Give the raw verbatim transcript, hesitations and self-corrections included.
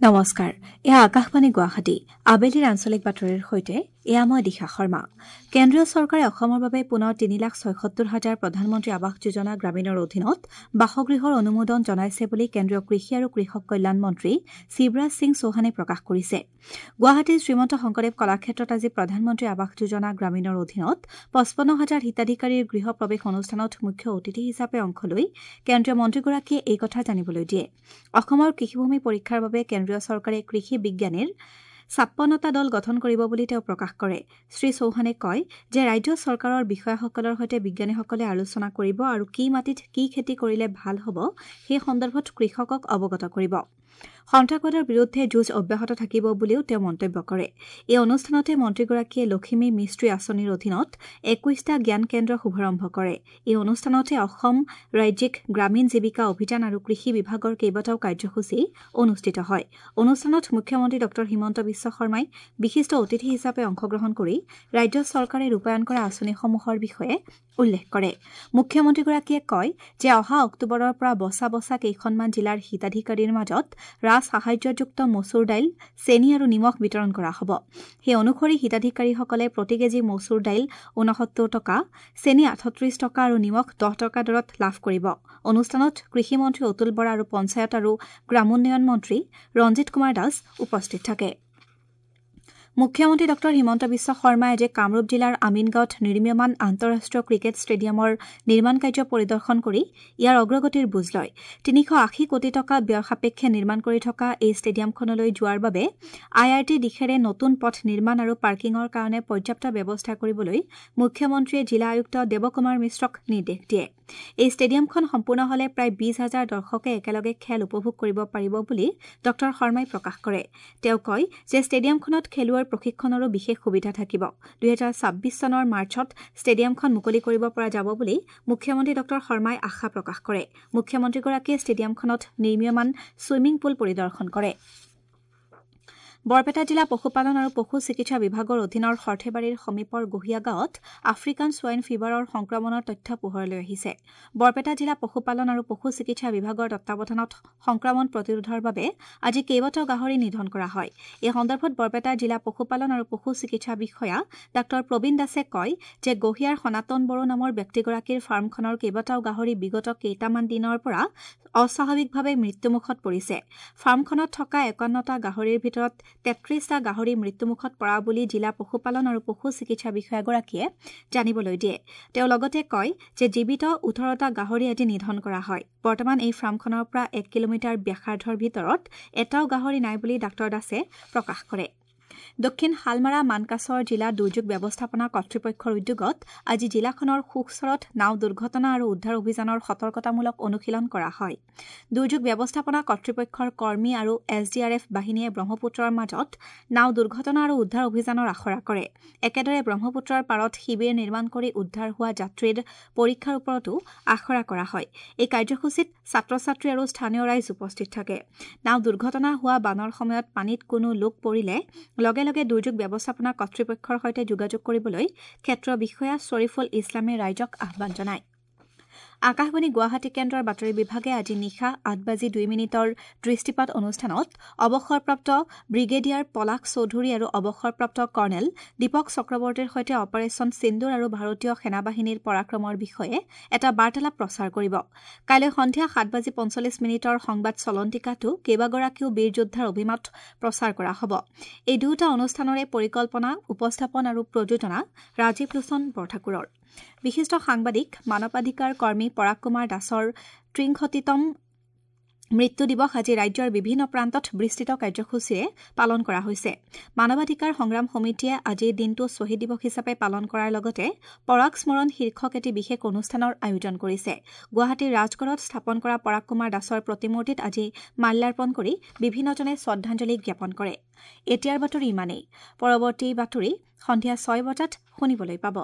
নমস্কাৰ, এয়া আকাশবাণী গুৱাহাটী। আবেলিৰ আঞ্চলিক বাতৰিৰ সৈতে এয়া মই দিশা শৰ্মা। কেন্দ্ৰীয় চৰকাৰে অসমৰ বাবে পুনৰ তিনি লাখ ছয়সত্তৰ হাজাৰ প্ৰধানমন্ত্ৰী আৱাস যোজনা গ্ৰামীণৰ অধীনত বাসগৃহৰ অনুমোদন জনাইছে বুলি কেন্দ্ৰীয় কৃষি আৰু কৃষক কল্যাণ মন্ত্ৰী শিৱৰাজ সিং চৌহানে প্ৰকাশ কৰিছে। গুৱাহাটীৰ শ্ৰীমন্ত শংকৰদেৱ কলাক্ষেত্ৰত আজি প্ৰধানমন্ত্ৰী আৱাস যোজনা গ্ৰামীণৰ অধীনত পঁচপন্ন হাজাৰ হিতাধিকাৰীৰ গৃহ প্ৰৱেশ অনুষ্ঠানত মুখ্য অতিথি হিচাপে অংশ লৈ কেন্দ্ৰীয় মন্ত্ৰীগৰাকীয়ে এই কথা জানিবলৈ দিয়ে। অসমৰ কৃষিভূমি পৰীক্ষাৰ বাবে কেন্দ্ৰীয় চৰকাৰে কৃষি বিজ্ঞানীৰ ছাপন্নটা দল গঠন কৰিব বুলি তেওঁ প্ৰকাশ কৰে। শ্ৰী চৌহানে কয় যে ৰাজ্য চৰকাৰৰ বিষয়াসকলৰ সৈতে বিজ্ঞানীসকলে আলোচনা কৰিব আৰু কি মাটিত কি খেতি কৰিলে ভাল হ'ব সেই সন্দৰ্ভত কৃষকক অৱগত কৰিব। সন্ত্ৰাসবাদৰ বিৰুদ্ধে যুঁজ অব্যাহত থাকিব বুলিও তেওঁ মন্তব্য কৰে। এই অনুষ্ঠানতে মন্ত্ৰীগৰাকীয়ে লখিমী মিস্ত্ৰী আঁচনিৰ অধীনত একৈশটা জ্ঞান কেন্দ্ৰ শুভাৰম্ভ কৰে। এই অনুষ্ঠানতে অসম ৰাজ্যিক গ্ৰামীণ জীৱিকা অভিযান আৰু কৃষি বিভাগৰ কেইবাটাও কাৰ্যসূচী অনুষ্ঠিত হয়। অনুষ্ঠানত মুখ্যমন্ত্ৰী ডঃ হিমন্ত বিশ্ব শৰ্মাই বিশিষ্ট অতিথি হিচাপে অংশগ্ৰহণ কৰি ৰাজ্য চৰকাৰে ৰূপায়ণ কৰা আঁচনিসমূহৰ বিষয়ে উল্লেখ কৰে। মুখ্যমন্ত্ৰীগৰাকীয়ে কয় যে অহা অক্টোবৰৰ পৰা বচা বচা কেইখনমান জিলাৰ হিতাধিকাৰীৰ মাজত ৰাজ সাহায্যযুক্ত মচুৰ দাইল, চেনি আৰু নিমখ বিতৰণ কৰা হ'ব। সেই অনুসৰি হিতাধিকাৰীসকলে প্ৰতি কেজি মচুৰ দাইল ঊনসত্তৰ টকা, চেনি আঠত্ৰিশ টকা আৰু নিমখ দহ টকা দৰত লাভ কৰিব। অনুষ্ঠানত কৃষিমন্ত্ৰী অতুল বৰা আৰু পঞ্চায়ত আৰু গ্ৰামোন্নয়ন মন্ত্ৰী ৰঞ্জিত কুমাৰ দাস উপস্থিত থাকে। মুখ্যমন্ত্ৰী ডঃ হিমন্ত বিশ্ব শৰ্মাই আজি কামৰূপ জিলাৰ আমিনগাঁৱত নিৰ্মীয়মান আন্তঃৰাষ্ট্ৰীয় ক্ৰিকেট ষ্টেডিয়ামৰ নিৰ্মাণ কাৰ্য পৰিদৰ্শন কৰি ইয়াৰ অগ্ৰগতিৰ বুজ লয়। তিনিশ আশী কোটি টকা ব্যয় সাপেক্ষে নিৰ্মাণ কৰি থকা এই ষ্টেডিয়ামখনলৈ যোৱাৰ বাবে I R T দিশেৰে নতুন পথ নিৰ্মাণ আৰু পাৰ্কিঙৰ কাৰণে পৰ্যাপ্ত ব্যৱস্থা কৰিবলৈ মুখ্যমন্ত্ৰীয়ে জিলা আয়ুক্ত দেৱকুমাৰ মিশ্ৰক নিৰ্দেশ দিয়ে। এই ষ্টেডিয়ামখন সম্পূৰ্ণ হলে প্ৰায় বিশ হাজাৰ দৰ্শকে একেলগে খেল উপভোগ কৰিব পাৰিব বুলি ডঃ শৰ্মাই প্ৰকাশ কৰে। তেওঁ কয় যে ষ্টেডিয়ামখনত খেলুৱৈৰ প্ৰশিক্ষণৰো বিশেষ সুবিধা থাকিব। দুহেজাৰ ছাব্বিছ চনৰ মাৰ্চত ষ্টেডিয়ামখন মুকলি কৰিব পৰা যাব বুলি মুখ্যমন্ত্ৰী ডঃ শৰ্মাই আশা প্ৰকাশ কৰে। মুখ্যমন্ত্ৰীগৰাকীয়ে ষ্টেডিয়ামখনত নিৰ্মীয়মান ছুইমিং পুল পৰিদৰ্শন কৰে। বৰপেটা জিলা পশুপালন আৰু পশু চিকিৎসা বিভাগৰ অধীনৰ সৰ্থেবাৰীৰ সমীপৰ গহিয়া গাঁৱত আফ্ৰিকান ছোৱাইন ফিভাৰৰ সংক্ৰমণৰ তথ্য পোহৰলৈ আহিছে। বৰপেটা জিলা পশুপালন আৰু পশু চিকিৎসা বিভাগৰ তত্বাৱধানত সংক্ৰমণ প্ৰতিৰোধৰ বাবে আজি কেইবাটাও গাহৰি নিধন কৰা হয়। এই সন্দৰ্ভত বৰপেটা জিলা পশুপালন আৰু পশু চিকিৎসা বিষয়া ডাঃ প্ৰবীণ দাসে কয় যে গহিয়াৰ সনাতন বড়ো নামৰ ব্যক্তিগৰাকীৰ ফাৰ্মখনৰ কেইবাটাও গাহৰি বিগত কেইটামান দিনৰ পৰা অস্বাভাৱিকভাৱে মৃত্যুমুখত পৰিছে। ফাৰ্মখনত থকা একাৱন্নটা গাহৰিৰ ভিতৰত তেত্ৰিশটা গাহৰি মৃত্যুমুখত পৰা বুলি জিলা পশুপালন আৰু পশু চিকিৎসা বিষয়াগৰাকীয়ে জানিবলৈ দিয়ে। তেওঁ লগতে কয় যে জীৱিত ওঠৰটা গাহৰি আজি নিধন কৰা হয়। বৰ্তমান এই ফাৰ্মখনৰ পৰা এক কিলোমিটাৰ ব্যাসাৰ্ধৰ ভিতৰত এটাও গাহৰি নাই বুলি ডাঃ দাসে প্ৰকাশ কৰে। দক্ষিণ শালমাৰা মানকাচৰ জিলা দুৰ্যোগ ব্যৱস্থাপনা কৰ্তৃপক্ষৰ উদ্যোগত আজি জিলাখনৰ সুখচৰত নাও দুৰ্ঘটনা আৰু উদ্ধাৰ অভিযানৰ সতৰ্কতামূলক অনুশীলন কৰা হয়। দুৰ্যোগ ব্যৱস্থাপনা কৰ্তৃপক্ষৰ কৰ্মী আৰু এছ ডি আৰ এফ বাহিনীয়ে ব্ৰহ্মপুত্ৰৰ মাজত নাও দুৰ্ঘটনা আৰু উদ্ধাৰ অভিযানৰ আখৰা কৰে। একেদৰে ব্ৰহ্মপুত্ৰৰ পাৰত শিবিৰ নিৰ্মাণ কৰি উদ্ধাৰ হোৱা যাত্ৰীৰ পৰীক্ষাৰ ওপৰতো আখৰা কৰা হয়। এই কাৰ্যসূচীত ছাত্ৰ ছাত্ৰী আৰু স্থানীয় ৰাইজ উপস্থিত থাকে। নাও দুৰ্ঘটনা হোৱা বানৰ সময়ত পানীত কোনো লোক পৰিলে লগে লগে দুৰ্যোগ ব্যৱস্থাপনা কৰ্তৃপক্ষৰ সৈতে যোগাযোগ কৰিবলৈ ক্ষেত্ৰ বিষয়া শ্বৰীফুল ইছলামে ৰাইজক আহ্বান জনায়। আকাশবাণী গুৱাহাটী কেন্দ্ৰৰ বাতৰি বিভাগে আজি নিশা আঠ বাজি দুই মিনিটৰ দৃষ্টিপাত অনুষ্ঠানত অৱসৰপ্ৰাপ্ত ব্ৰিগেডিয়াৰ পলাশ চৌধুৰী আৰু অৱসৰপ্ৰাপ্ত কৰ্ণেল দীপক চক্ৰৱৰ্তীৰ সৈতে অপাৰেচন সিন্দুৰ আৰু ভাৰতীয় সেনাবাহিনীৰ পৰাক্ৰমৰ বিষয়ে এটা বাৰ্তালাপ প্ৰচাৰ কৰিব। কাইলৈ সন্ধিয়া সাত বাজি পঞ্চল্লিছ মিনিটৰ সংবাদ চলন্তিকাতো কেইবাগৰাকীও বীৰ যোদ্ধাৰ অভিমত প্ৰচাৰ কৰা হ'ব। এই দুয়োটা অনুষ্ঠানৰে পৰিকল্পনা, উপস্থাপন আৰু প্ৰযোজনা ৰাজীৱ লোচন বৰঠাকুৰৰ। বিশিষ্ট সাংবাদিক, মানৱাধিকাৰ কৰ্মী পৰাগ কুমাৰ দাসৰ ত্ৰিংশতিতম মৃত্যু দিৱস আজি ৰাজ্যৰ বিভিন্ন প্ৰান্তত বিস্তৃত কাৰ্যসূচীৰে পালন কৰা হৈছে। মানৱাধিকাৰ সংগ্ৰাম সমিতিয়ে আজিৰ দিনটো শ্বহীদ দিৱস হিচাপে পালন কৰাৰ লগতে পৰাগ স্মৰণ শীৰ্ষক এটি বিশেষ অনুষ্ঠানৰ আয়োজন কৰিছে। গুৱাহাটীৰ ৰাজগড়ত স্থাপন কৰা পৰাগ কুমাৰ দাসৰ প্ৰতিমূৰ্তিত আজি মাল্যাৰ্পণ কৰি বিভিন্নজনে শ্ৰদ্ধাঞ্জলি জ্ঞাপন কৰে। এতিয়াৰ বাতৰি ইমানেই। পৰৱৰ্তী বাতৰি সন্ধিয়া ছয় বজাত শুনিবলৈ পাব।